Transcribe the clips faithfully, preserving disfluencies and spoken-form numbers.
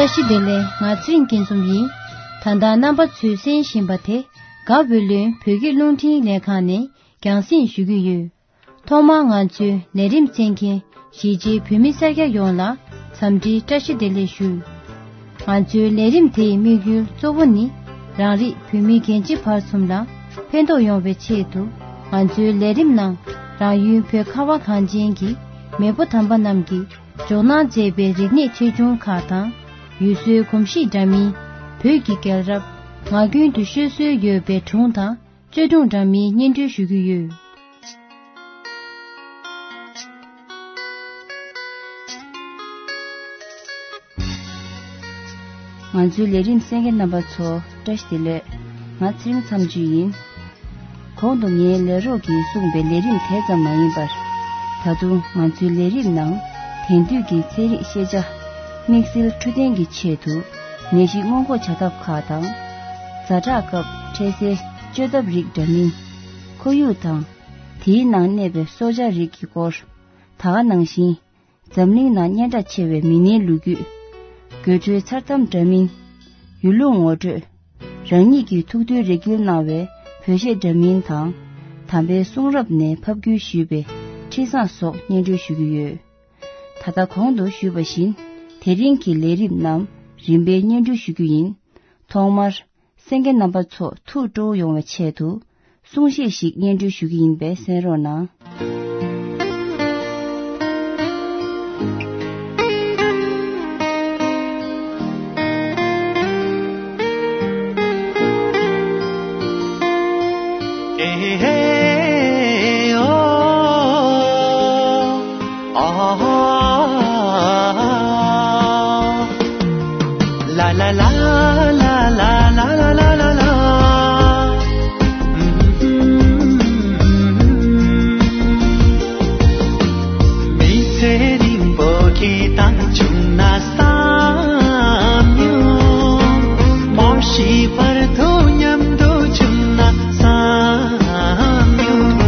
བཀྲ་ཤིས་བདེ་ལེགས། ང་ཚེ་རིང་སྐྱིད་འཛོམས་ཡིན། ད་ལྟ་རྣམ་པ་ཚོས་གསན་བཞིན་པ་དེ་དགའ་བོད་ལུང་བོད་ཀྱི་རླུང་འཕྲིན་ལས་ཁང་ནས་རྒྱང་སྲིང་ཞུ་གི་ཡོད། ཐོག་མར་ང་ཚོའི་ལས་རིམ་གསན་མཁན་གཞིས་བྱེས་བོད་མི་སེར་སྐྱ་ཡོངས་ལ་འཚམས་འདྲིའི་བཀྲ་ཤིས་བདེ་ལེགས་ཞུ། ང་ཚོའི་ལས་རིམ་དེའི་དམིགས་ཡུལ་གཙོ་བོ་ནི་རང་རིགས་བོད་མི་རྒན་བྱིས་བར་གསུམ་ལ་ཕན་ཐོགས་ཡོང་བའི་ཆེད་དུ། ང་ཚོའི་ལས་རིམ་ནང་རང་ཡུལ་བོད་ཁ་བ་གངས་ཅན་གྱི་མེས་པོ་དམ་པ་རྣམས་ཀྱིས་འཇོག་གནང་མཛད་པའི་རིག་གནས་ཆེ་ཆུང་ཁག་དང་། ཡུལ་སྲོལ་གོམས་གཤིས་འདྲ་མིན། བོད་ཀྱི་རྒྱལ་རབས། ངག་རྒྱུན་དུ་ཤོད་སྲོལ་ཡོད་པའི་སྒྲུང་དང་རྩོད་སྒྲུང་འདྲ་མིན་སྙན་སྒྲོན་ཞུ་གི་ཡོད། ང་ཚོའི་ལས་རིམ་གསན་མཁན་རྣམ་པ་ཚོ་བཀྲ་ཤིས་བདེ་ལེགས། ང་ཚེ་རིང་མཚམས་གཅོད་ཡིན། གོང་དུ་ངའི་ལས་རོགས་ཀྱིས་གསུངས་པའི་ལས་རིམ་དེ་ཙམ་མ་ཡིན་པར། ད་དུང་ང་ཚོའི་ལས་རིམ་ནང་དེང་དུས་ཀྱི་ཚན་རིག་ཤེས་བྱ། དམིགས་བསལ་འཕྲོད་བསྟེན་གྱི་ཆེད་དུ་ནད་གཞི་སྔོན་འགོག་བྱ་ཐབས་ཁག་དང་། ཛ་དྲག་སྐབས་འཕྲལ་སེལ་བཅོས་ཐབས་རིགས་འདྲ་མིན། ཁོར་ཡུག་དང་། དེའི་ནང་གནས་པའི་སྲོག་ཆགས་རིགས་ཀྱི་སྐོར། ད་ག་ནང་བཞིན། འཛམ་གླིང་ནང་སྙན་གྲགས་ཆེ་བའི་མི་སྣའི་ལོ་རྒྱུས། དགོད་བྲོའི་མཚར་གཏམ་འདྲ་མིན། ཡུལ་ལུང་ངོ་སྤྲོད། རང་ཉིད་ཀྱི་ཐུགས་འདུན་རེ་སྐུལ་གནང་བའི་བོད་གཞས་འདྲ་མིན་དང་། དམ་པའི་གསུང་རབ་ནས་ཕབ་བསྒྱུར་ཞུས་པའི་འཕྲིན་བཟང་སོགས་སྙན་སྒྲོན་ཞུ་གི་ཡོད། ད་ལྟ་གོང་དུ་ཞུས་པ་བཞིན། དེ་རིང་གི་ལས་རིམ་རྣམས་རིམ་པས་སྙན་སྒྲོན་ཞུ་རྒྱུ་ཡིན། ཐོག་མར། གསན་མཁན་རྣམ་པ་ཚོ་ཐུགས་སྤྲོ་བོ་ཡོང་བའི་ཆེད་དུ། གསུང་བཤད་ཞིག་སྙན་སྒྲོན་ཞུ་གི་ཡིན་པས་གསན་རོགས་གནང་། མི་ཚེ་རིང་པོ་སྐྱིད་དང་བྱུང་ན་བསམ་མྱོང་། མ་ཤི་བར་དུ་མཉམ་དུ་བྱུང་ན་བསམ་མྱོང་།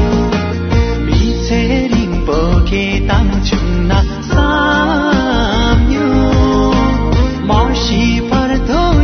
མི་ཚེ་རིང་པོ་སྐྱིད་དང་བྱུང་ན་བསམ་མྱོང་། མ་ཤི་བར་དུ་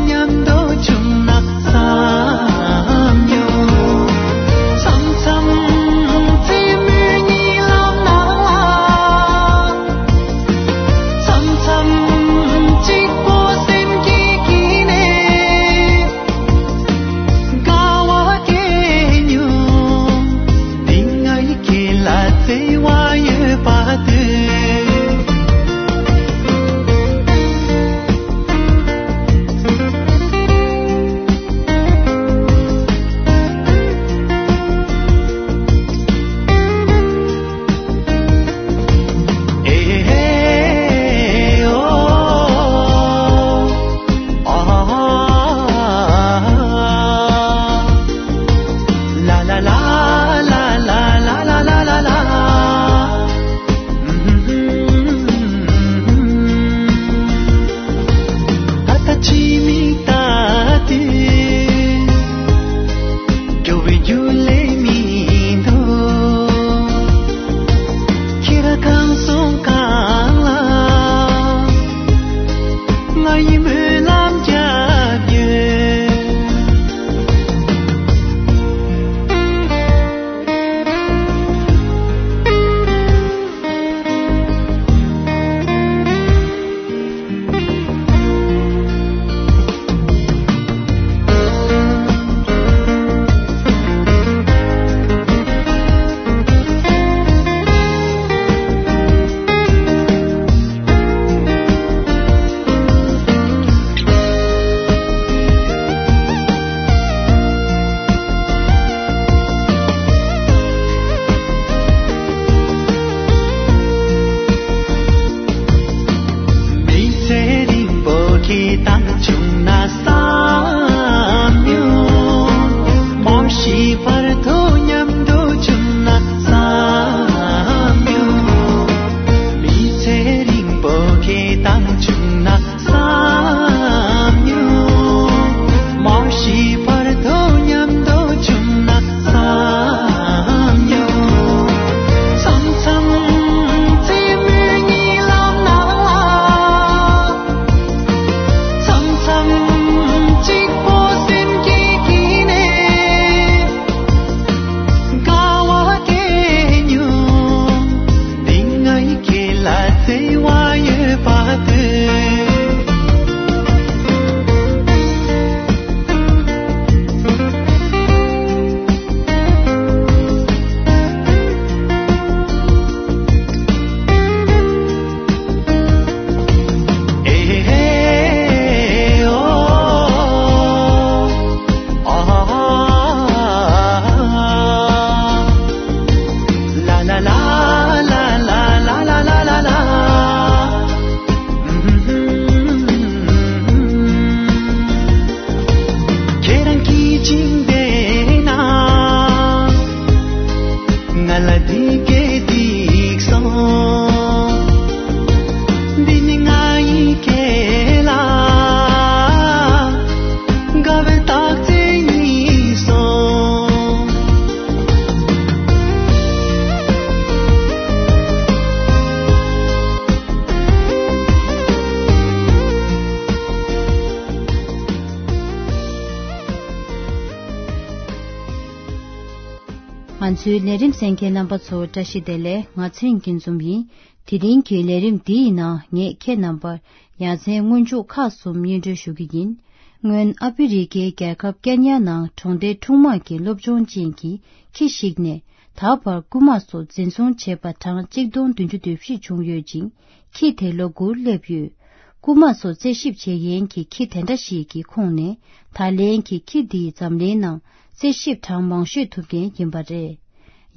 ང་ཚོའི་ལས་རིམ་གསན་མཁན་རྣམ་པ་ཚོ་བཀྲ་ཤིས་བདེ་ལེགས། ང་ཚེ་རིང་སྐྱིད་འཛོམས་ཡིན། དེ་རིང་གི་ལས་རིམ་འདིའི་ནང་ངས་ཁྱེད་རྣམ་པར་ཡ་མཚན་སྔོན་འཇུག་ཁག་གསུམ་སྙན་སྒྲོན་ཞུ་གི་ཡིན། སྔོན་ཨ་ཕི་རི་ཀའི་རྒྱལ་ཁབ་ཀན་ཡ་ནང་གྲོང་སྡེ་ཁྲུང་དམག་གི་སློབ་སྦྱོང་ཅན་གྱི་ཁྱི་ཞིག་ནས་ད་བར་རྐུན་མ་སོགས་འཛིན་བཟུང་བྱས་པ་གྲངས་གཅིག་སྟོང་བདུན་ཅུ་དོན་བཞི་བྱུང་ཡོད་ཅིང་། ཁྱི་དེ་ལོ་དགུར་སླེབས་ཡོད། རྐུན་མ་སོགས་རྩད་ཞིབ་བྱེད་མཁན་གྱི་ཁྱི་དེ་འདྲ་ཞིག་གི་ཁོངས་ནས་ད་ལན་གྱི་ཁྱི་འདིས་འཛམ་གླིང་ནང་རྩད་ཞིབ་གྲངས་མང་ཤོས་ཐུབ་མཁན་ཡིན་པ་རེད།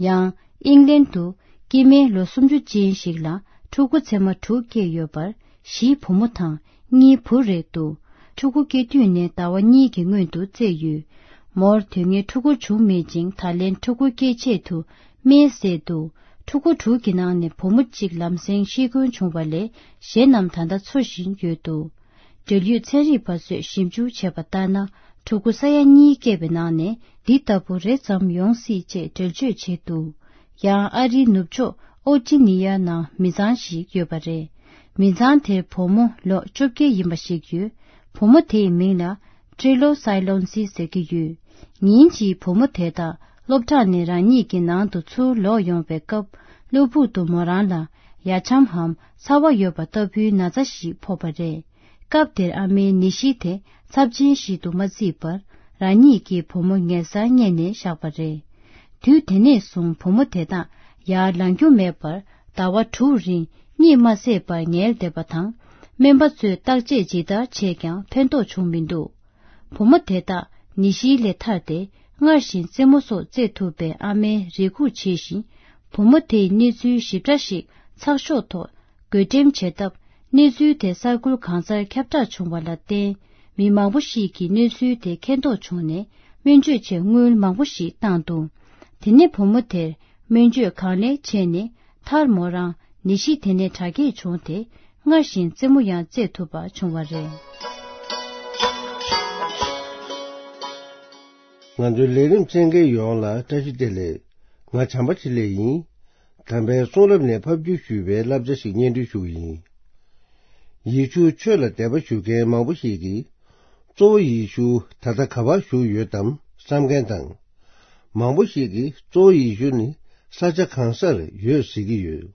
ཡང་། ཨིང་ལན་དུ་སྐྱེ་དམན་ལོ་སུམ་ཅུ་ཅན་ཞིག་ལ་ཕྲུ་གུ་མཚེ་མ་དྲུག་སྐྱེས་ཡོད་པར་བཞི་བུ་མོ་དང་གཉིས་བུ་རེད་འདུག་ཕྲུ་གུ་སྐྱེ་དུས་ནས་ཟླ་བ་གཉིས་ཀྱི་སྔོན་དུ་བཙས་ཡོད། མོར་དུས་ངན་ཕྲུ་གུ་བྱུང་མེད་ཅིང་ད་ལན་ཕྲུ་གུ་སྐྱེས་ཆེད་དུ་སྨན་བཟས་འདུག་ཕྲུ་གུ་དྲུག་གི་ནང་ནས་བུ་མོ་གཅིག་ལམ་སེང་ཤི་སྐྱོན་བྱུང་བ་ལས་གཞན་རྣམས་ད་ལྟ་འཚོ་བཞིན་ཡོད་འདུག་འབྲེལ་ཡོད་ཚན་རིག་པ་ཚོས་ཞིབ་འཇུག་བྱས་པ་ལྟར་ན། ཕྲུ་གུ་ས་ཡ་གཉིས་སྐྱེས་པའི་ནང་ནས་འདི་ལྟ་བུ་རེ་ཙམ་ཡོང་སྲིད་ཅེས་འགྲེལ་བརྗོད་བྱས་འདུག་ཡང་ཨ་རིའི་ནུབ་ཕྱོགས་ཨོ་ཅི་ནི་ཡ་ནང་མི་ཚང་ཞིག་ཡོད་པ་རེད། མི་ཚང་དེར་བུ་མོ་ལོ་བཅོ་བརྒྱད་ཡིན་པ་ཞིག་ཡོད། བུ་མོ་དེའི་མིང་ལ་ཀྲི་ལོ་སའི་ལོན་སི་ཟེར་གྱི་ཡོད། ཉིན་གཅིག་བུ་མོ་དེ་དག་སློབ་གྲྭ་ནས་རང་ཉིད་ཀྱི་ནང་དུ་ཚུར་ལོག་ཡོང་བའི་སྐབས། གློ་བུར་དུ་མོ་རང་ལ་ཡ་འཆམ་འམ་ཚ་བ་ཡོད་པ་ལྟ་བུའི་ན་ཚ་ཞིག་ཕོག་པ་རེད། སྐབས་དེར་ཨ་མའི་ནད་གཞི་དེ་ཚབས་ཆེན་ཞིག་ཏུ་མ་བརྩིས་པར། རང་ཉིད་ཀྱི་བུ་མོ་ཉལ་སར་བསྙལ་ནས་བཞག་པ་རེད། དུས་དེ་ནས་བཟུང་བུ་མོ་དེ་དག་ཡར་ལངས་རྒྱུ་མེད་པར་ཟླ་བ་དྲུག་རིང་གཉིད་མ་སད་པར་ཉལ་བསྡད་པ་དང་། སྨན་པ་ཚོས་བརྟག་དཔྱད་ཇི་ལྟར་བྱས་ཀྱང་ཕན་ཐོགས་བྱུང་མི་འདུག་བུ་མོ་དེ་དག་ནད་གཞི་ལས་ཐར་ཏེ། སྔར་བཞིན་རྩེད་མོ་སོགས་རྩེད་ཐུབ་པའི་ཨ་མའི་རེ་སྒུག་བྱེད་བཞིན། བུ་མོ་དེའི་གནས་ཚུལ་ཞིབ་ཕྲ་ཞིག་ཚགས་ཤོག་ཐོག་བགོ་འགྲེམས་བྱས་སྟབས། གནས་ཚུལ་དེ་གསར་འགྱུར་གང་སར་ཁྱབ་བསྒྲགས་བྱུང་བ་ལ་བརྟེན། མི་མང་པོ་ཞིག་གིས་གནས་ཚུལ་དེ་མཁྱེན་རྟོགས་བྱུང་ནས། སྨན་བཅོས་ཆེད་དངུལ་མང་པོ་ཞིག་བཏང་འདུག་དེ་ནས་བུ་མོ་དེར་སྨན་བཅོས་གང་ལེགས་བྱས་ནས། མཐར་མོ་རང་ནད་གཞི་དེ་ནས་དྲག་སྐྱེད་བྱུང་སྟེ། སྔར་བཞིན་རྩེད་མོ་ཡང་རྩེད་ཐུབ་པ་བྱུང་བ་རེད། ང་ཚོའི་ལས་རིམ་གསན་མཁན་ཡོངས་ལ་བཀྲ་ཤིས་བདེ་ལེགས། ང་བྱམས་པ་འཕྲིན་ལས་ཡིན། དམ་པའི་གསུང་རབ་ནས་ཕབ་བསྒྱུར་ཞུས་པའི་བསླབ་བྱ་ཞིག་སྙན་སྒྲོན་ཞུ་གི་ཡིན། ཡེ་ཤུ་ཆོས་ལ་དད་པ་ཞུ་མཁན་མང་པོ་ཞིག་གིས། གཙོ་བོ་ཡེ་ཤུ་ད་ལྟ་ག་པར་བཞུགས་ཡོད་དམ་བསམ་མཁན་དང་། མང་པོ་ཞིག་གིས་གཙོ་བོ་ཡེ་ཤུ་ནི་ས་ཆ་གང་སར་ཡོད་ཟེར་གྱི་ཡོད།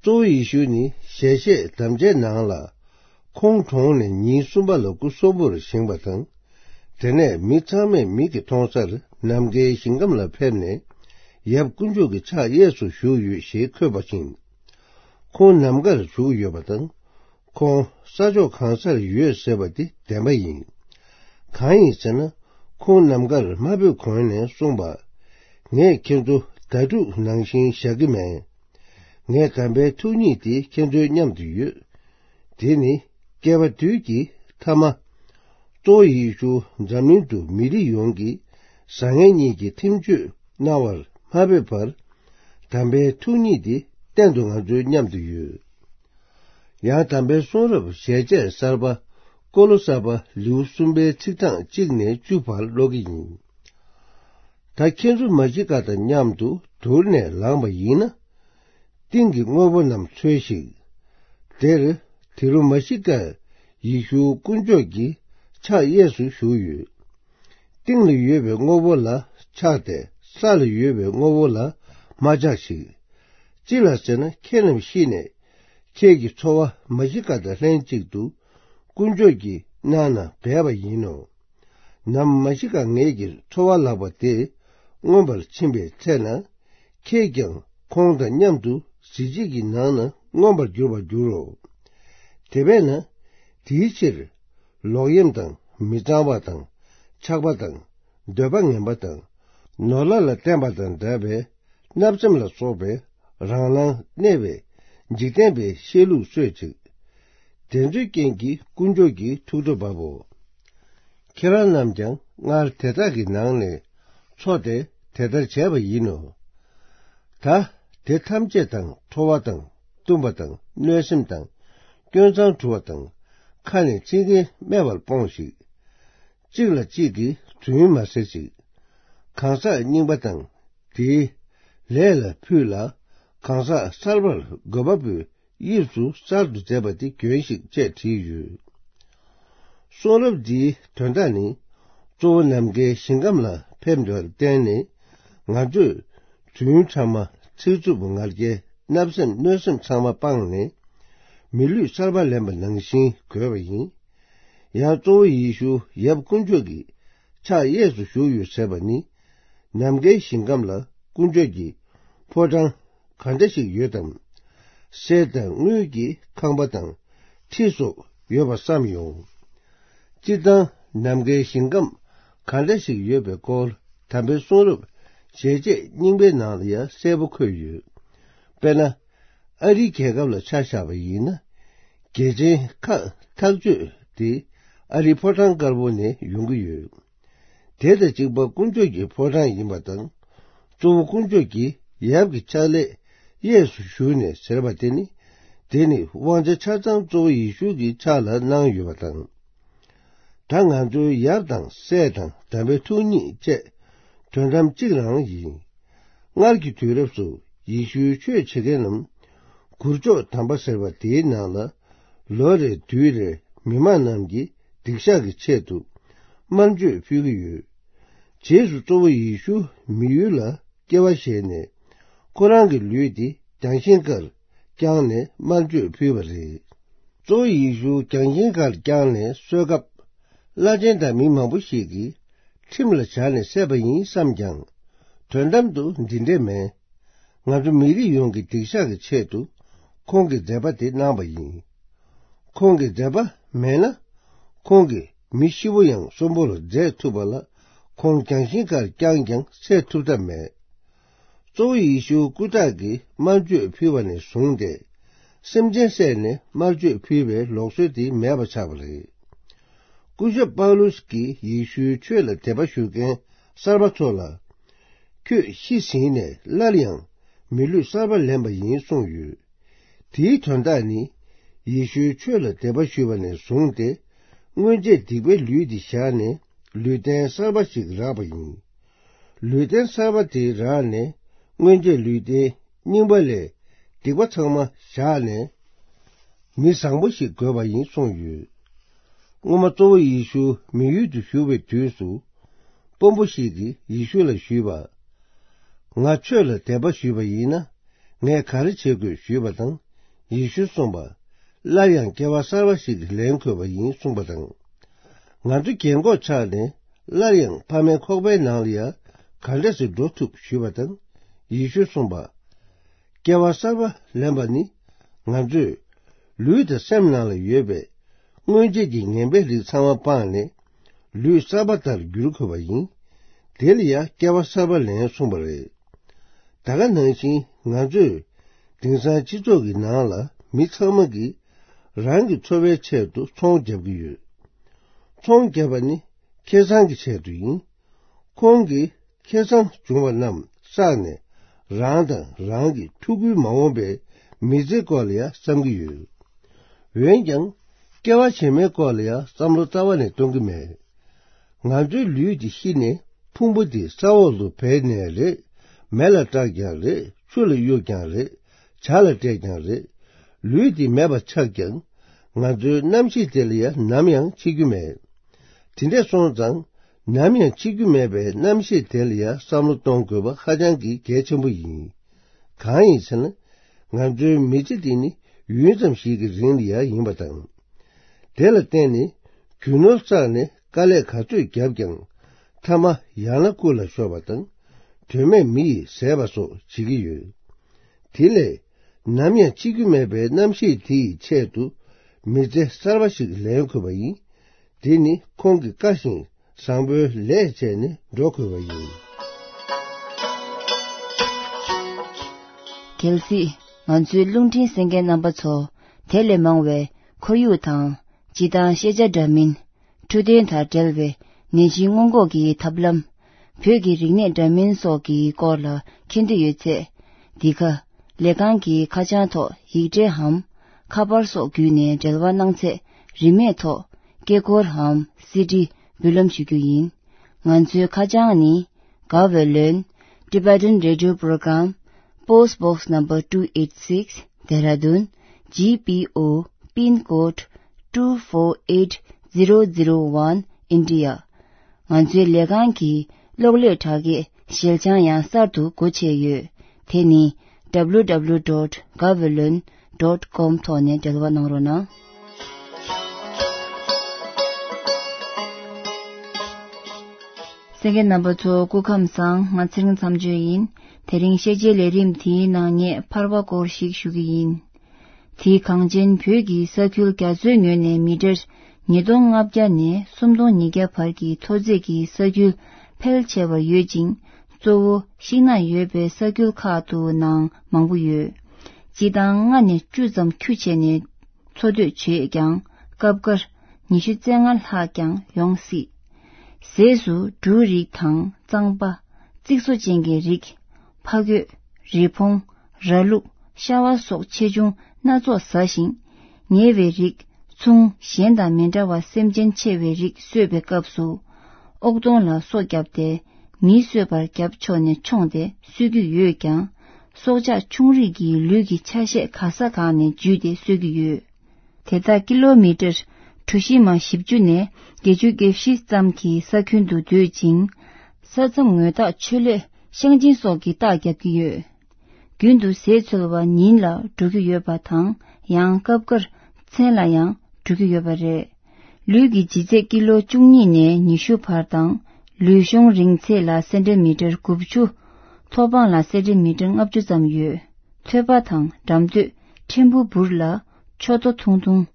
གཙོ་བོ་ཡེ་ཤུ་ནི་ཞལ་བཞེས་དམ་བཅའི་ནང་ལ། ཁོང་གྲོངས་ནས་ཉིན་གསུམ་པ་ལ་སྐུ་གསོན་པོར་བཞེངས་པ་དང་། དེ་ནས་མི་ཚང་མས་མིག་གིས་མཐོང་སར་ནམ་མཁའི་ཞིང་ཁམས་ལ་ཕེབས་ནས། ཡབ་དཀོན་མཆོག་གི་ཕྱག་གཡས་སུ་བཞུགས་ཡོད་ཞེས་འཁོད་པ་བཞིན། ཁོང་ནམ་མཁར་བཞུགས་ཡོད་པ་དང་། ཁོང་ས་ཕྱོགས་གང་སར་ཡོད་ཟེར་བ་འདི་བདེན་པ་ཡིན། གང་ཡིན་ཟེར་ན། ཁོང་ནམ་མཁར་མ་ཕེབས་གོང་ནས་གསུངས་པ། ངས་ཁྱེད་ཚོ་ཟླ་དྲུག་ནང་བཞིན་བཞག་གི་མེད། ངའི་དམ་པའི་ཐུགས་ཉིད་དེ་ཁྱེད་ཚོའི་མཉམ་དུ་ཡོད། དེ་ནི་བསྐལ་པ་དུས་ཀྱི་མཐའ་མ། གཙོ་བོ་ཡེ་ཤུ་འཛམ་གླིང་དུ་མི་རིགས་ཡོངས་ཀྱི་བཟང་ངན་གཉིས་ཀྱི་ཁྲིམས་གཅོད་གནང་བར་མ་ཕེབས་པར། དམ་པའི་ཐུགས་ཉིད་དེ་གཏན་དུ་ང་ཚོའི་མཉམ་དུ་ཡོད། ཡང་དམ་པའི་གསུང་རབ་ཞལ་ཆད་གསར་པ་ཀོ་ལོ་ས་པ་ལེའུ་གསུམ་པའི་ཚིག་གྲངས་གཅིག་ནས་བཅུ་བར་ཀློག་གི་ཡིན། ད་ཁྱེད་ཚོ་མ་ཤི་ཀ་དང་མཉམ་དུ་དུར་ནས་ལངས་པ་ཡིན་ན། ཏིང་གི་དངོས་པོ་རྣམས་འཚོལ་ཞིག། དེར་དེ་རུ་མ་ཤི་ཀ་ཡེ་ཤུ་དཀོན་མཆོག་གི་ཕྱག་གཡས་སུ་བཞུགས་ཡོད། སྟེང་ལ་ཡོད་པའི་དངོས་པོ་ལ་ཆགས་ཏེ་ས་ལ་ཡོད་པའི་དངོས་པོ་ལ་མ་ཆགས་ཤིག། ཅི་ལ་ཟེར་ན་ཁྱེད་རྣམས་ཤི་ནས་ཁྱེད་ཀྱི་འཚོ་བ་མ་ཤི་ཀ་དང་ལྷན་ཅིག་ཏུ་དཀོན་མཆོག་གིས་གནང་ན་འབད་པ་ཡིན་ནོ། ནམ་མ་ཤི་ཀ་ངེད་ཀྱི་འཚོ་བ་ལགས་པ་དེ་མངོན་པར་ཕྱིན་པའི་ཚེ་ན། ཁྱེད་ཀྱང་ཁོང་དང་མཉམ་དུ་གཟི་བརྗིད་ཀྱི་ནང་ན་མངོན་པར་འགྱུར་བར་འགྱུར་རོ། དེ་བས་ན། དེའི་ཕྱིར། ལོག་གཡེམ་དང་མི་གཙང་བ་དང་། ཆགས་པ་དང་། འདོད་པ་ངན་པ་དང་། ནོར་ལྷ་ལ་བརྟེན་པ་དང་འདྲ་བའི་བརྣབ་སེམས་ལ་སོགས་པའི་རང་སྣང་གནས་པའི་འཇིག་རྟེན་པའི་བཤད་ལུགས་གསོད་ཅིག། དེ་ཚོའི་རྐྱེན་གྱིས་དཀོན་མཆོག་གིས་ཐུགས་ཁྲོ་བབ་བོ། ཁྱེད་རང་རྣམས་ཀྱང་སྔར་དེ་དག་གི་ནང་ནས་འཚོ་སྟེ་དེ་ལྟར་བྱས་པ་ཡིན་ནོ། ད་དེ་ཐམས་ཅད་དང་ཁྲོ་བ་དང་གཏུམ་པ་དང་གནོད་སེམས་དང་སྐྱོན་མཚང་འཁྲུ་བ་དང་ཁ་ནས་ཚིག་ངན་སྨྲས་པར་སྤོངས་ཤིག། གཅིག་ལ་གཅིག་གིས་རྫུན་མ་ཟེར་ཅིག། གང་ཟག་རྙིང་པ་དང་དེའི་ལས་ལ་ཕུད་ལ། གང་ཟག་གསར་པར་འགོད་པ་པོའི་དབྱིབས་སུ་གསར་དུ་མཛད་པ་དེ་གྱོན་ཞིག་ཅེས་བྲིས་ཡོད། གསུང་རབ་འདིའི་དོན་དག་ནི། གཙོ་བོ་ནམ་མཁའི་ཞིང་ཁམས་ལ་ཕེབས་འདུག་བརྟེན་ནས། ང་ཚོས་རྫུན་ཕྲ་མ། ཚིག་རྩུབ་ངར་སྐད། བརྣབ་སེམས་གནོད་སེམས་ཚང་མ་སྤངས་ནས། མི་ལུས་གསར་པ་ལེན་པ་ནང་བཞིན་དགོས་པ་ཡིན། ཡང་གཙོ་བོ་ཡེ་ཤུ་ཡབ་དཀོན་མཆོག་གི་ཕྱག་གཡས་སུ་བཞུགས་ཡོད་ཟེར་བ་ནི། ནམ་མཁའི་ཞིང་ཁམས་ལ་དཀོན་མཆོག་གི་ཕོ་བྲང་ག་འདྲ་ཞིག་ཡོད་དམ། གསེར་དང་དངུལ་གྱི་ཁང་པ་དང་ཁྲི་སོགས་ཡོད་པ་བསམ་ཡོང་། སྤྱིར་བཏང་ནམ་མཁའི་ཞིང་ཁམས་ག་འདྲ་ཞིག་ཡོད་པའི་སྐོར་དམ་པའི་གསུང་རབ་ཞལ་ཆད་རྙིང་པའི་ནང་ལ་ཡང་གསལ་པོ་འཁོད་ཡོད། དཔེར་ན། ཨ་རིའི་རྒྱལ་ཁབ་ལ་ཆ་བཞག་པ་ཡིན་ན། རྒྱལ་ཆེན་ཁག་ཐག་གཅོད་དེ་ཨ་རིའི་ཕོ་བྲང་དཀར་པོ་ནས་ཡོང་གི་ཡོད། དེ་དང་གཅིག་པ་དཀོན་མཆོག་གི་ཕོ་བྲང་ཡིན་པ་དང་། གཙོ་བོ་དཀོན་མཆོག་གི་ཡབ་ཀྱི་ཕྱག་ལས་གཡས་སུ་བཞུགས་ནས་ཟེར་བ་དེ་ནི། དེ་ནི་དབང་ཆ་ཆ་ཚང་གཙོ་བོ་ཡེ་ཤུ་གི་ཕྱག་ལ་གནང་ཡོད་པ་དང་། ད་ང་ཚོའི་ཡབ་དང་སྲས་དང་དམ་པའི་ཐུགས་ཉིད་བཅས་དོན་དམ་གཅིག་རང་ཡིན། སྔར་གྱི་དུས་རབས་སུ་ཡེ་ཤུའི་ཆོས་བྱེད་མཁན་རྣམས་གུར་མཆོག་དམ་པ་ཟེར་བ་དེའི་ནང་ལ་ལོ་རེ་དུས་རེ་མི་མང་རྣམས་ཀྱིས་སྡིག་བཤགས་ཀྱི་ཆེད་དུ་དམར་མཆོད་ཕུལ་གྱི་ཡོད། རྗེས་སུ་གཙོ་བོ་ཡེ་ཤུ་མི་ཡུལ་ལ་སྐྱེ་བ་བཞེས་ནས། ཁོ་རང་གི་ལུས་དེ་རྒྱང་ཤིང་ཁར་བརྐྱངས་ནས་དམར་མཆོད་ཕུལ་བ་རེད། གཙོ་བོ་ཡེ་ཤུ་རྒྱང་ཤིང་ཁར་བརྐྱངས་ནས་གསོལ་སྐབས། བླ་ཆེན་དང་མི་མང་པོ་ཞིག་གིས་ཁྲིམས་ལ་སྦྱར་ནས་བསད་པ་ཡིན་བསམ་ཀྱང་། དོན་དམ་དུ་འདི་འདྲས་མེད། ང་ཚོ་མི་རིགས་ཡོངས་ཀྱི་སྡིག་བཤགས་ཀྱི་ཆེད་དུ་ཁོང་གིས་མཛད་པ་དེ་གནང་བ་ཡིན། ཁོང་གིས་མཛད་པ་མེད་ན། ཁོང་གིས་མི་ཤི་བོ་ཡང་གསོན་པོར་མཛད་ཐུབ་པ་ལ། ཁོང་རྒྱང་ཤིང་ཁར་བརྐྱངས་ཀྱང་བསད་ཐུབ་ཐབས་མེད། གཙོ་བོ་ཡེ་ཤུ་སྐུ་དྲག་གིས་དམར་མཆོད་ཕུལ་བ་ནས་བཟུང་སྟེ། སེམས་ཅན་བསད་ནས་དམར་མཆོད་ཕུལ་བའི་ལུགས་སྲོལ་དེ་མེད་པ་ཆགས་པ་རེད། སྐུ་ཞབས་པའུ་ལུས་ཀྱིས་ཡེ་ཤུའི་ཆོས་ལ་དད་པ་ཞུ་མཁན་གསར་པ་ཚོ་ལ། ཁྱོད་ཤི་ཟིན་ནས་སླར་ཡང་མི་ལུས་གསར་པ་ལེན་པ་ཡིན་གསུངས་ཡོད། དེའི་དོན་དག་ནི། ཡེ་ཤུའི་ཆོས་ལ་དད་པ་ཞུས་པ་ནས་བཟུང་སྟེ། སྔོན་ཆད་སྡིག་པའི་ལུས་འདི་བཞག་ནས་ལུས་རྟེན་གསར་པ་ཞིག་རག་པ་ཡིན། ལུས་རྟེན་གསར་པ་དེ་རག་ནས་སྔོན་ཆད་ལུས་རྟེན་རྙིང་པ་ལས་སྡིག་པ་ཚང་མ་བཞག་ནས་མི་བཟང་པོ་ཞིག་དགོས་པ་ཡིན་གསུངས་ཡོད། སྔོན་མ་གཙོ་བོ་ཡེ་ཤུ་མི་ཡུལ་དུ་བཞུགས་པའི་དུས་སུ། དཔོན་པོ་ཞིག་གིས་ཡེ་ཤུ་ལ་ཞུས་པ། ང་ཆོས་ལ་དད་པ་ཞུས་པ་ཡིན་ན། ངས་ག་རེ་བྱེད་དགོས་ཞུས་པ་དང་། ཡེ་ཤུས་གསུངས་པ། སླར་ཡང་སྐྱེ་བ་གསར་པ་ཞིག་ལེན་དགོས་པ་ཡིན་གསུངས་པ་དང་། ང་ཚོ་རྒན་གོག་ཆགས་ནས་སླར་ཡང་ཕ་མའི་ཁོག་པའི་ནང་ལ་ཡང་ག་འདྲ་སེ་འགྲོ་ཐུབ་ཞུས་པ་དང་། ཡེ་ཤུས་གསུངས་པ། སྐྱེ་བ་གསར་པ་ལེན་པ་ནི། ང་ཚོས་ལུས་དང་སེམས་ནང་ལ་ཡོད་པའི་སྔོན་ཆད་ཀྱི་ངན་པའི་རིགས་ཚང་མ་སྤངས་ནས། ལུས་གསར་པ་ལྟར་འགྱུར་དགོས་པ་ཡིན། དེ་ལ་ཡང་སྐྱེ་བ་གསར་པ་ལེན་གསུངས་པ་རེད། ད་ག་ནང་བཞིན་ང་ཚོས་དེང་སང་སྤྱི་ཚོགས་ཀྱི་ནང་ལ་མི་ཚང་མ་གིས་རང་གི་འཚོ་བའི་ཆེད་དུ་ཚོང་རྒྱབ་ཀྱི་ཡོད། ཚོང་རྒྱབ་པ་ནི་ཁེ་བཟང་གི་ཆེད་དུ་ཡིན། ཁོང་གིས་ཁེ་བཟང་བྱུང་བ་རྣམས་བསགས་ནས་རང་དང་རང་གི་ཕྲུ་གུའི་མ་འོངས་པའི་མི་ཚེའི་སྐོར་ལ་ཡང་བསམ་གྱི་ཡོད། འོན་ཀྱང་སྐྱེ་བ་རྗེས་མའི་སྐོར་ལ་ཡང་བསམ་བློ་རྩ་བ་ནས་གཏོང་གི་མེད། ང་ཚོའི་ལུས་འདི་ཤི་ནས་ཕུང་པོ་འདི་ས་འོག་ཏུ་སྦས་ནས་རེད། མེ་ལ་བསྲེགས་ཀྱང་རེད། ཆུ་ལ་གཡུགས་ཀྱང་རེད། བྱ་ལ་སྤྲད་ཀྱང་རེད། ལུས་འདི་མེད་པ་ཆགས་ཀྱང་། ང་ཚོའི་རྣམ་ཤེས་དེ་ལ་ཡང་ནམ་ཡང་འཆི་རྒྱུ་མེད། དེ་འདྲས་སོང་ཙང་། ནམ་ཡང་འཆི་རྒྱུ་མེད་པའི་རྣམ་ཤེས་དེ་ལ་ཡང་བསམ་བློ་གཏོང་དགོས་པ་ཧ་ཅང་གི་གལ་ཆེན་པོ་ཡིན། གང་ཡིན་ཟེར་ན། ང་ཚོའི་མི་ཚེ་འདི་ནི་ཡུན་ཙམ་ཞིག་གི་རིང་ལ་ཡང་ཡིན་པ་དང་། དེ་ལ་བརྟེན་ནས་རྒྱུ་ནོར་བསགས་ནས་དཀའ་ལས་ག་ཚོད་བརྒྱབ་ཀྱང་། མཐའ་མ་ཡང་ན་རྐུ་ལ་ཤོར་བ་དང་། དོན་མེད་མི་ཡིས་ཟས་པ་སོགས་བྱེད་ཀྱི་ཡོད། དེ་ལས་ནམ་ཡང་འཆི་རྒྱུ་མེད་པའི་རྣམ་ཤེས་དེ་ཡི་ཆེད་དུ་མི་ཚེ་གསར་པ་ཞིག་ལེན་དགོས་པ་ཡིན། དེ་ནི་ཁོང་གི་བཀའ་བཞིན་བཟང་པོའི་ལས་བྱས་ནས་འགྲོ་དགོས་པ་ཡིན། གལ་སྲིད་ང་ཚོའི་རླུང་འཕྲིན་གསན་མཁན་རྣམ་པ་ཚོ། དེ་ལས་མང་བའི་ཁོར་ཡུག་དང་། སྤྱི་བཏང་ཤེས་བྱ་འདྲ་མིན། འཕྲོད་བསྟེན་དང་འབྲེལ་བའི་ནད་གཞི་སྔོན་འགོག་གི་ཐབས་ལམ། བོད་ཀྱི་རིག་གནས་འདྲ་མིན་སོགས་ཀྱི་སྐོར་ལ་མཁྱེན་འདོད་ཡོད་ཚེ། འདི་ག་ལས་ཁང་གི་ཁ་བྱང་ཐོག་ཡིག་འབྲེལ་འམ། ཁ་པར་སོགས་བརྒྱུད་ནས་འབྲེལ་བ་གནང་ཚེ། རིན་མེད་ཐོག་སྐད་འཁུར་འམ། སི་ཌི་འབུལ་ལམ་ཞུ་རྒྱུ་ཡིན། ང་ཚོའི་ཁ་བྱང་ནི། Gaweylon Tibetan Radio Program, Post Box Number two eight six, Dehradun, G P O, Pin Code two four eight zero zero one, India. ང་ཚོའི་ལས་ཁང་གི་གློག་ཀླད་དྲ་རྒྱའི་ ཞལ་བྱང་ཡང་གསར་དུ་སྒོ་ཕྱེ་ཡོད། དེ་ནི་www.gaweylon.com ཐོག་ནས་འབྲེལ་བ་གནང་རོགས་གནང་། གསན་མཁན་རྣམ་པ་ཚོ་སྐུ་ཁམས་བཟང་། ང་ཚེ་རིང་མཚམས་གཅོད་ཡིན། དེ་རིང་ཤེས་བྱའི་ལས་རིམ་དེའི་ནང་ངས་ཕར་བ་སྐོར་ཞིག་ཞུ་གི་ཡིན། དེའི་གངས་ཅན་བོད་ཀྱི་ས་ཁུལ་རྒྱ་མཚོའི་ངོས་ནས་མི་ཊར་ཉིས་སྟོང་ལྔ་བརྒྱ་ནས་སུམ་སྟོང་ཉིས་བརྒྱ་བར་གྱི་མཐོ་ཚད་ཀྱི་ས་ཁུལ་ཕལ་ཆེ་བར་ཡོད་ཅིང་། གཙོ་བོ་ཤིང་ནགས་ཡོད་པའི་ས་ཁུལ་ཁག་ཏུ་ནང་མང་པོ་ཡོད། སྤྱི་བཏང་ལྔ་ནས་བཅུ་ཙམ་ཁྱུ་བྱས་ནས་འཚོ་སྡོད་བྱེད་ཀྱང་། སྐབས་འགར་ཉི་ཤུ་རྩ་ལྔ་ལྷག་ཀྱང་ཡོང་སྲིད། ཟས་སུ་འབྲུ་རིགས་དང་རྩམ་པ། རྩིག་བཟོ་ཅན་གྱི་རིགས། ཕ་གོས། རི་བོང་། ར་ལུག། ཤ་བ་སོགས་ཆེ་ཆུང་སྣ་ཚོགས་ཟ་ཞིང་། ཉེ་བའི་རིགས། ཚུང་གཞན་དང་མི་འདྲ་བར་སེམས་ཅན་ཆེ་བའི་རིགས་གསོད་པའི་སྐབས་སུ། ཨོག་དོང་ལ་སོ་བརྒྱབ་སྟེ། མིས་གསོད་པར་བརྒྱབ་ཆོག་ནས་མཆོངས་ཏེ་གསོད་ཀྱི་ཡོད་ཀྱང་། སྲོག་ཆགས་ཆུང་རིགས་ཀྱི་ལུས་ཀྱི་ཆ་ཤས་ག་ས་གང་ནས་འཇུས་ཏེ་གསོད་ཀྱི་ཡོད། དེ་དག་ཀི་ལོ་མི་ཊར་གྲུ་བཞི་མ་བཞི་བཅུ་ནས་བརྒྱད་ཅུ་གྱ་བཞི་ཙམ་གྱི་ས་ཁྱོན་དུ་སྡོད་ཅིང་། ས་མཚམས་ངོས་ཐག་ཆོད་ལས་ཤང་ཆེན་སོགས་ཀྱི་རྟགས་བརྒྱབ་ཀྱི་ཡོད། རྒྱུན་དུ་ཟས་འཚོལ་བ་ཉིན་ལ་འགྲོ་གི་ཡོད་པ་དང་། ཡང་སྐབས་འགར་མཚན་ལ་ཡང་འགྲོ་གི་ཡོད་པ་རེད། ལུས་ཀྱི་ལྗིད་ཚད་ཀི་ལོ་བཅུ་གཉིས་ནས་ཉི་ཤུ་བར་དང་། ལུས་གཤོང་རིང་ཚད་ལ་སེན་ཊི་མི་ཊར་དགུ་བཅུ། མཐོ་སྤང་ལ་སེན་ཊི་མི་ཊར་ལྔ་བཅུ་ཙམ་ཡོད། ཐོད་པ་དང་འགྲམ་སྟོད། ཕྲན་བུ་འབུར་ལ། མཆུ་ཏོ་ཐུང་ཐུང་།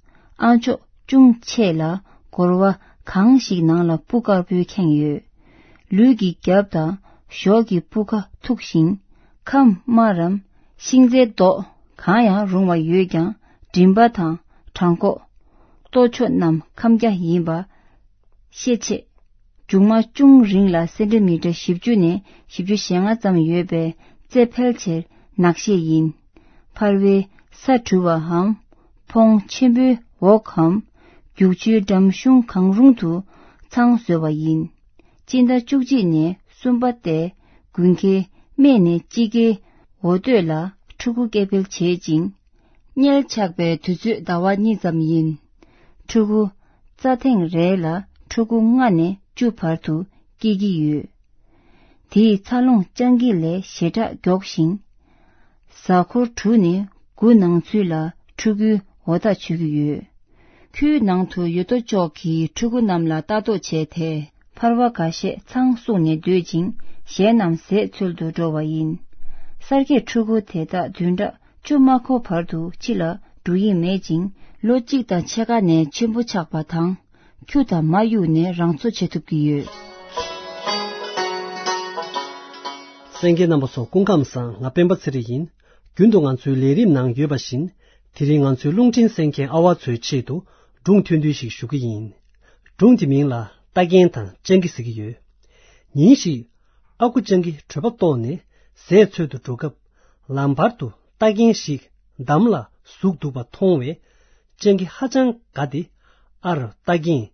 ཨ་མཆོག་ཅུང་ཆེ་ལ། སྒོར་བ་གང་ཞིག་ནང་ལ་སྤུ་དཀར་པོའི་ཁེངས་ཡོད། ལུས་ཀྱི་རྒྱབ་དང་གཞོགས་ཀྱི་སྤུ་ཁ་མཐུག་ཞིང་། ཁམས་དམར་རམ། ཤིང་རྩའི་མདོག་གང་ཡང་རུང་བ་ཡོད་ཀྱང་། མགྲིན་པ་དང་བྲང་ཁོག་ལྟོ་མཆོག་རྣམས་ཁམས་རྒྱ་ཡིན་པ་ཤས་ཆེ། མཇུག་མ་ཅུང་རིང་ལ་སེན་ཊི་མི་ཊར་བཞི་བཅུ་ནས་བཞི་བཅུ་ཞེ་ལྔ་ཙམ་ཡོད་པའི་རྩེ་ཕལ་ཆེར་ནག་ཤས་ཡིན། ཕར་བའི་ས་བྲུ་བའམ། ཕོང་ཆེན་པོའི་འོག་གམ། རྒྱུག་ཆུའི་འགྲམ་གཞུང་གང་རུང་དུ་ཚང་བཟོས་པ་ཡིན། སྤྱི་ཟླ་བཅུ་གཅིག་ནས་གསུམ་པ་སྟེ། དགུན་ཁའི་སྨད་ནས་དཔྱིད་ཀའི་འོ་སྟོད་ལ་ཕྲུ་གུ་སྐྱེ་འཕེལ་བྱེད་ཅིང་། མངལ་ཆགས་པའི་དུས་ཚོད་ཟླ་བ་གཉིས་ཙམ་ཡིན། ཕྲུ་གུ་རྩ་ཐེངས་རེ་ལ་ཕྲུ་གུ་ལྔ་ནས་བཅུ་བར་དུ་སྐྱེ་གི་ཡོད། དེའི་འཚར་ལོངས་སྤྱང་ཀི་ལས་ཞེ་དྲག་མགྱོགས་ཤིང་། གཟའ་འཁོར་དྲུག་ནས་དགུ་ནང་ཚུད་ལ་ཕྲུ་གུའི་འོ་ཐག་ཆོད་ཀྱི་ཡོད། ཁུལ་ནང་དུ་ཡོད་དོ་ཅོག་གི་ཕྲུ་གུ་རྣམས་ལ་ལྟ་རྟོག་བྱས་ཏེ། ཕར་བ་འགའ་ཤས་ཚང་བསྲུངས་ནས་སྡོད་ཅིང་། གཞན་རྣམས་ཟས་འཚོལ་དུ་འགྲོ་བ་ཡིན། གསར་སྐྱེས་ཕྲུ་གུ་དེ་དག་བདུན་ཕྲག་བཅུ་མ་འཁོར་བར་དུ་ཕྱི་ལ་འགྲོ་ཡི་མེད་ཅིང་། ལོ་གཅིག་དང་ཕྱེད་ཀ་ནས་ཆེན་པོ་ཆགས་པ་དང་། ཁྱུ་དང་མ་གཡུགས་ནས་རང་འཚོ་བྱེད་ཐུབ་ཀྱི་ཡོད། གསན་མཁན་རྣམ་པ་ཚོ་སྐུ་ཁམས་བཟང་། ང་སྤེན་པ་ཚེ་རིང་ཡིན། རྒྱུན་དུ་ང་ཚོའི་ལས་རིམ་ནང་ཡོད་པ་བཞིན། དེ་རིང་ང་ཚོའི་རླུང་འཕྲིན་གསན་མཁན་ཨ་བ་ཚོའི་ཆེད་དུ་སྒྲུང་ཐུང་ཐུང་ཞིག་ཞུ་གི་ཡིན། སྒྲུང་དེ་མིང་ལ་རྟ་རྒན་དང་སྤྱང་ཀི་ཟེར་གྱི་ཡོད། ཉིན་ཞིག་ཨ་ཁུ་སྤྱང་ཀི་གྲོད་པ་ལྟོགས་ནས་ཟས་འཚོལ་དུ་འགྲོ་སྐབས། ལམ་བར་དུ་རྟ་རྒན་ཞིག་འདམ་ལ་ཟུག་འདུག་པ་མཐོང་བས། སྤྱང་ཀི་ཧ་ཅང་དགའ་སྟེ། ཨ་རོ་རྟ་རྒན།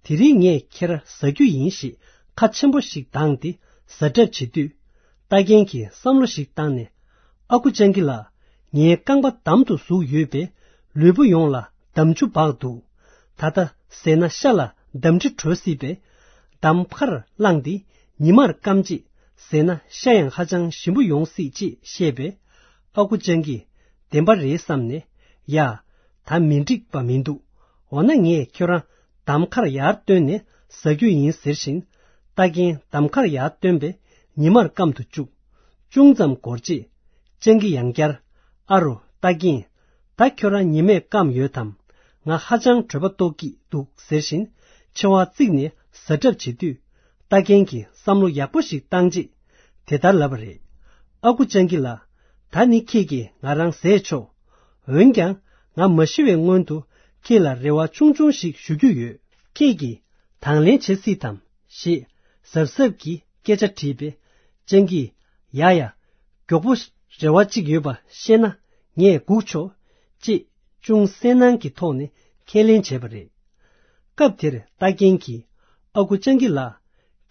དེ་རིང་ངས་ཁྱེད་ར་ཟ་རྒྱུ་ཡིན་ཞེས་ཁ་ཆེན་པོ་ཞིག་གདངས་ཏེ་ཟ་གྲབས་བྱེད་དུས། རྟ་རྒན་གྱིས་བསམ་བློ་ཞིག་བཏང་ནས། ཨ་ཁུ་སྤྱང་ཀི་ལགས། ངའི་རྐང་པ་འདམ་དུ་ཟུག་ཡོད་པས། ལུས་པོ་ཡོངས་ལ་འདམ་ཆུ་འབག་འདུག་ད་ལྟ་ཟས་ན་ཤ་ལ་འདམ་དྲི་བྲོ་སྲིད་པས། འདམ་ཁར་བླངས་ཏེ་ཉི་མར་སྐམ་རྗེས་ཟས་ན་ཤ་ཡང་ཧ་ཅང་ཞིམ་པོ་ཡོང་སྲིད་ཅེས་བཤད་པས། ཨ་ཁུ་སྤྱང་ཀིས་བདེན་པ་རེད་བསམ་ནས། ཡ། ད་མི་འགྲིག་པ་མི་འདུག་འོ་ན་ངས་ཁྱོད་རང་འདམ་ཁར་ཡར་བཏོན་ནས་ཟ་རྒྱུ་ཡིན་ཟེར་བཞིན། རྟ་རྒན་འདམ་ཁར་ཡར་བཏོན་པས་ཉི་མར་སྐམ་དུ་བཅུག་ཅུང་ཙམ་འགོར་རྗེས། སྤྱང་ཀི་ཡང་བསྐྱར། ཨ་རོ་རྟ་རྒན། ད་ཁྱོད་རང་ཉི་མས་སྐམ་ཡོད་དམ། ང་ཧ་ཅང་གྲོད་པ་ལྟོགས་ཀྱི་འདུག་ཟེར་བཞིན་མཆེ་བ་གཙིགས་ནས་ཟ་གྲབས་བྱེད་དུས། རྟ་རྒན་གྱིས་བསམ་བློ་ཡག་པོ་ཞིག་བཏང་རྗེས་དེ་ལྟར་ལབ་པ་རེད། ཨ་ཁུ་སྤྱང་ཀི་ལགས། ད་ནི་ཁྱེད་ཀྱིས་ང་རང་ཟས་ཆོག་འོན་ཀྱང་། ང་མ་ཤི་བའི་སྔོན་དུ་ཁྱེད་ལ་རེ་བ་ཆུང་ཆུང་ཞིག་ཞུ་རྒྱུ་ཡོད། ཁྱེད་ཀྱིས་དང་ལེན་བྱེད་སྲིད་དམ། ཞེས་གཟབ་གཟབ་ཀྱིས་སྐད་ཆ་དྲིས་པས། སྤྱང་ཀིས། ཡ་ཡ། མགྱོགས་པོ་རེ་བ་གཅིག་ཡོད་པ་ཤེས་ན་ངས་སྒུག་ཆོག་ཅེས་ཅུང་གསལ་སྣང་གི་ཐོག་ནས་ཁས་ལེན་བྱས་པ་རེད། སྐབས་དེར་རྟ་རྒན་གྱིས། ཨ་ཁུ་སྤྱང་ཀི་ལགས།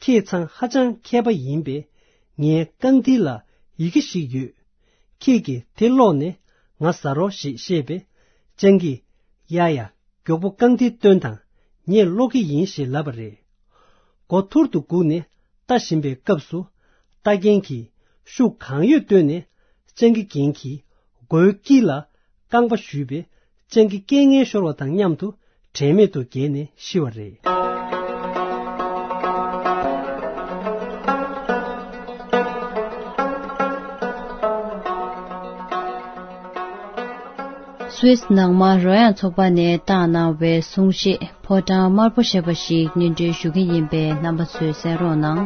ཁྱེད་ཚང་ཧ་ཅང་མཁས་པ་ཡིན་པས། ངའི་རྐང་མཐིལ་ལ་ཡི་གེ་ཞིག་ཡོད། ཁྱེད་ཀྱིས་དེ་ཀློག་ནས་ང་ཟ་རོགས་ཞེས་བཤད་པས། སྤྱང་ཀིས། ཡ་ཡ། མགྱོགས་པོ་རྐང་མཐིལ་སྟོན་དང་། ངས་ཀློག་གི་ཡིན་ཞེས་ལབ་པ་རེད། མགོ་ཐུར་དུ་སྒུག་ནས་ལྟ་བཞིན་པའི་སྐབས་སུ། རྟ་ རྟ་རྒན་གྱིས་ཤུགས་གང་ཡོད་བཏོན་ནས་སྤྱང་ཀི་རྒན་གྱི་མགོའི་དཀྱིལ་ལ་རྐང་པ་གཞུས་པས། སྤྱང་ཀི་རྐྱེན་ངན་ཤོར་བ་དང་མཉམ་དུ་དྲན་མེད་དུ་འགྱེལ་ནས་ཤི་བ་རེད། སུད་སི་ནང་མ་རོལ་དབྱངས་ཚོགས་པ་ནས་བཏང་གནང་བའི་གསུང་བཤད་ཕོ་བྲང་དམར་པོ་ཞེས་པ་ཞིག་སྙན་སྒྲོན་ཞུ་གི་ཡིན་པས། རྣམ་པ་ཚོས་གསན་རོགས་གནང་།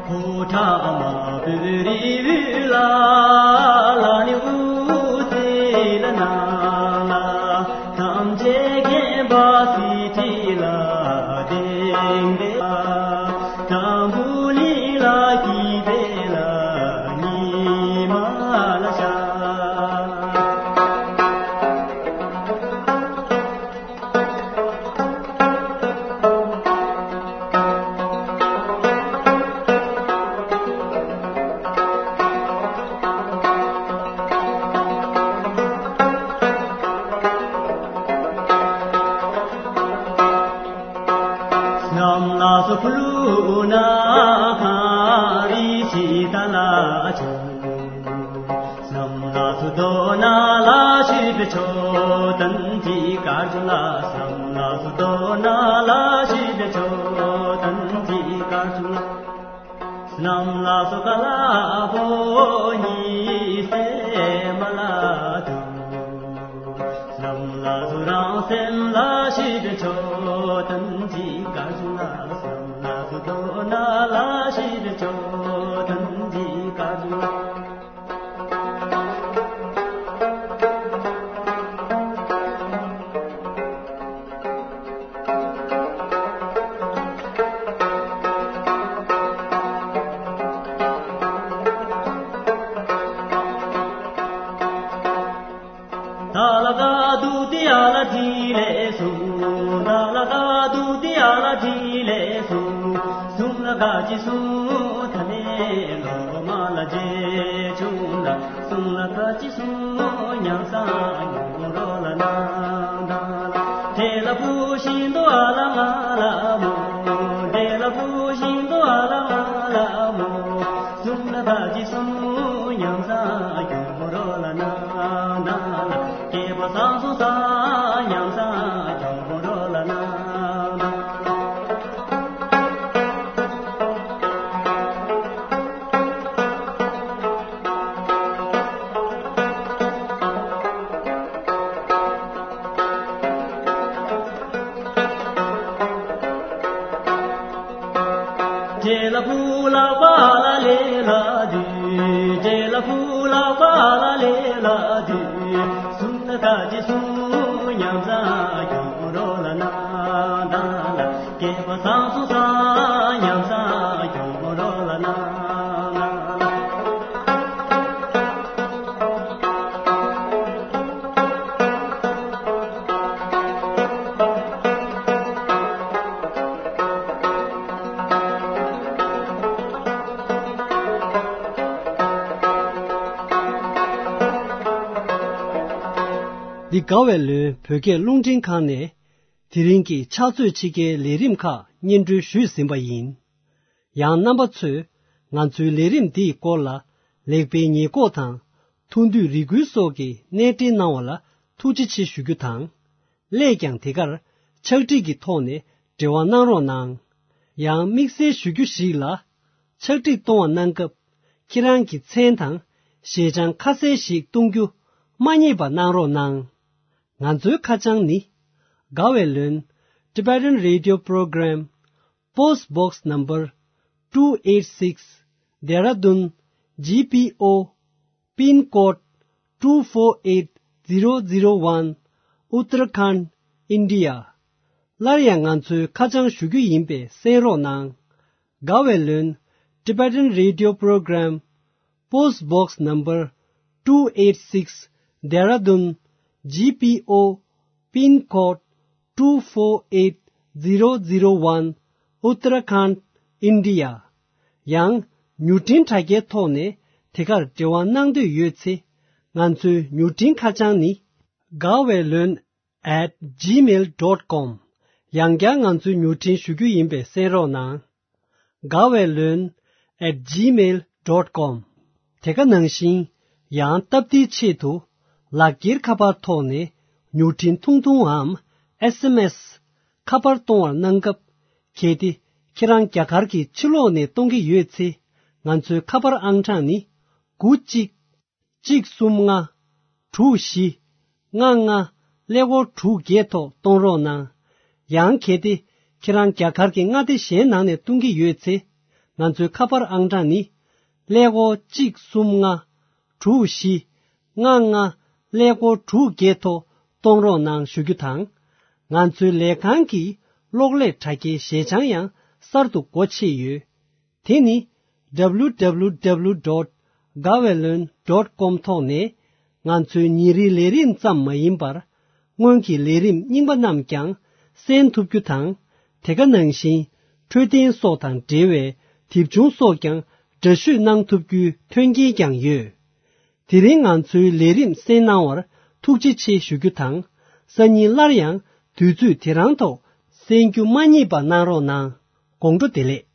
ཕོ་བྲང་དམར་པོའི་རི་བོའི་ལ་ལ་ནི་འུ་ཙི་ལ་ན་ལ། ཐམས་ཅད་མཁྱེན་པ་སྲིད་ཁྲི་ལ་གདན་འདྲེན། དང་པོ་ལི་ལ་སྐྱིད་པའི་ལ་ཉི་མ་ལ་ཤར། བསྣམས་ལ་སོགས་ཕུ་ལུ་ན་ཁ་རི་ཆི་ད་ལ་ཆོ། བསྣམས་ལ་སོགས་དོ་ན་ལ་ཤི་བེ་ཆོ་ཏན་ཅི་ཀ་ཇུ་ལ། བསྣམས་ལ་སོགས་དོ་ན་ལ་ཤི་བེ་ཆོ་ཏན་ཅི་ཀ་ཇུ་ལ། བསྣམས་ལ་སོགས་ཀ་ལ་བོ་ཉི་སེ་མ་ལ་དུ། བསྣམས་ལ་སོགས་རང་སེམས་ལ་ཤི་བེ་ཆོ་ཏན་ཅི་ཀ་ཇུ་ལ། བསྣམས་ལ་སོགས་དོ་ན་ལ་ཤི་བེ་ཆོ་ཏན་ཅི་ཀ་ཇུ་ལ། ད་ལ་ག་དུ་ཏི་ཡ་ལ་ཏི་ལེ་སུ། ད་ལ་ག་དུ་ཏི་ཡ་ལ་ཏི་ལེ་སུ། སུམ་ལ་ག་ཅི་སུ་ཐ་ལེ་ལོ་མ་ལ་ཇེ་ཆུང་ལ། སུམ་ལ་ག་ཅི་སུ་ཉམས་སང་ཉུང་རོ་ལ་ན་ད་ལ། ཏེ་ལ་བུ་ཤིན་དུ་ཨ་ལ་ང་ལ་མོ། ཏེ་ལ་བུ་ཤིན་དུ་ཨ་ལ་ང་ལ་མོ། སུམ་ལ་ག་ཅི་སུ་ཉམས་སང་ཉུང་རོ་ལ་ན་ད་ལ། སྐྱེས་པ་སང་སུ་སང་ཉམས་སང་ཉུང་རོ་ལ་ན་ད་ལ། ཇེ་ལ་ཕུ་ལ་བ་ལ་ལེ་ལ་དུ། ཇེ་ལ་ཕུ་ལ་བ་ལ་ལེ་ལ་དུ། སུམ་ན་ད་ཅི་སུ་ཉམས་སང་ཉུང་རོ་ལ་ན་ད་ལ། སྐྱེས་པ་སང་སུ་སང་ཉམས་སང་ཉུང་རོ་ལ་ན་ད་ལ། འདི་དགའ་བའི་ལོན་བོད་སྐད་རླུང་འཕྲིན་ཁང་ནས་དེ་རིང་གི་ཕྱག་ཚོད་ཕྱི་རྒྱལ་ལས་རིམ་ཁག་སྙན་སྒྲོན་ཞུས་ཟིན་པ་ཡིན། ཡང་རྣམ་པ་ཚོས་ང་ཚོའི་ལས་རིམ་འདིའི་སྐོར་ལ་ལེགས་སྤེལ་ཉེས་འགོག་དང་ཐུགས་འདོད་རེ་སྐུལ་སོགས་ཀྱི་གནས་འབྲེལ་གནང་བ་ལ་ཐུགས་རྗེ་ཆེ་ཞུ་རྒྱུ་དང་། སླད་ཀྱང་དེ་གར་ཕྱག་བྲིས་ཀྱི་ཐོག་ནས་འབྲེལ་བ་གནང་རོགས་གནང་། ཡང་དམིགས་བསལ་ཞུ་རྒྱུ་ཞིག་ལ། ཕྱག་བྲིས་གཏོང་བ་གནང་སྐབས་ཁྱེད་རང་གི་མཚན་དང་ཞལ་བྱང་ཁ་གསལ་ཞིག་གཏོང་རྒྱུ་མ་བསྙེལ་བ་གནང་རོགས་གནང་། ང་ཚོའི་ཁ་བྱང་ནི། དགའ་བའི་ལོན། Tibetan Radio Program, Post Box Number two eight six, Dehradun G P O, Pin Code two four eight zero zero one, Uttarakhand, India. སླར་ཡང་ང་ཚོའི་ཁ་བྱང་ཞུ་རྒྱུ་ཡིན་པས་གསན་རོགས་གནང་། དགའ་བའི་ལོན། Tibetan Radio Program, Post Box Number two eight six, Dehradun G P O, Pin Code two four eight zero zero one, Uttarakhand, India. ཡང་མྱུར་འཕྲིན་དྲ་རྒྱའི་ཐོག་ནས་དེ་གར་འབྲེལ་བ་གནང་འདོད་ཡོད་ཚེ། ང་ཚོའི་མྱུར་འཕྲིན་ཁ་བྱང་ནི། དགའ་བའི་ལོན་at gmail dot com, ཡང་བསྐྱར་ང་ཚོའི་མྱུར་འཕྲིན་ཞུ་རྒྱུ་ཡིན་པས་གསན་རོགས་གནང་། དགའ་བའི་ལོན་at gmail dot com། དེ་ག་ནང་བཞིན་ཡང་སྟབས་བདེའི་ཆེད་དུ་ལག་འཁྱེར་ཁ་པར་ཐོག་ནས་མྱུར་འཕྲིན་ཐུང་ཐུང་འམ་S M S ཁ་པར་གཏོང་བར་གནང་སྐབས། གལ་ཏེ་ཁྱེད་རང་རྒྱ་གར་གྱི་ཕྱི་ལོགས་ནས་གཏོང་གི་ཡོད་ཚེ། ང་ཚོའི་ཁ་པར་ཨང་གྲངས་ནི། དགུ་གཅིག་གཅིག་གསུམ་ལྔ། དྲུག་བཞི། ལྔ་ལྔ། ཀླད་ཀོར་དྲུག་བརྒྱད་ཐོག་གཏོང་རོགས་གནང་། ཡང་གལ་ཏེ་ཁྱེད་རང་རྒྱ་གར་གྱི་མངའ་སྡེ་གཞན་ནང་ནས་གཏོང་གི་ཡོད་ཚེ། ང་ཚོའི་ཁ་པར་ཨང་གྲངས་ནི། ཀླད་ཀོར་གཅིག་གསུམ་ལྔ། དྲུག་བཞི། ལྔ་ལྔ། ཀླད་ཀོར་དྲུག་བརྒྱད་ཐོག་གཏོང་རོགས་གནང་ཞུ་རྒྱུ་དང་། ང་ཚོའི་ལས་ཁང་གི་གློག་ཀླད་དྲ་རྒྱའི་ཞལ་བྱང་ཡང་གསར་དུ་སྒོ་ཕྱེ་ཡོད། དེ་ནི། W W W dot gawaylon dot com ཐོག་ནས་ང་ཚོའི་ཉིན་རེའི་ལས་རིམ་ཙམ་མ་ཡིན་པར། སྔོན་གྱི་ལས་རིམ་རྙིང་པ་རྣམས་ཀྱང་གསན་ཐུབ་རྒྱུ་དང་། དེ་ག་ནང་བཞིན་འཕྲོད་བསྟེན་སོགས་དང་འབྲེལ་བའི་དེབ་ཆུང་སོགས་ཀྱང་འདྲ་བཤུས་གནང་ཐུབ་རྒྱུའི་མཐུན་རྐྱེན་ཀྱང་ཡོད། དེ་རིང་ང་ཚོའི་ལས་རིམ་གསན་གནང་བར་ཐུགས་རྗེ་ཆེ་ཞུ་རྒྱུ་དང་། སང་ཉིན་སླར་ཡང་དུས་ཚོད་དེ་རང་ཐོག་གསན་རྒྱུ་མ་བསྙེལ་བ་གནང་རོགས་གནང་། དགོང་དྲོ་བདེ་ལེགས།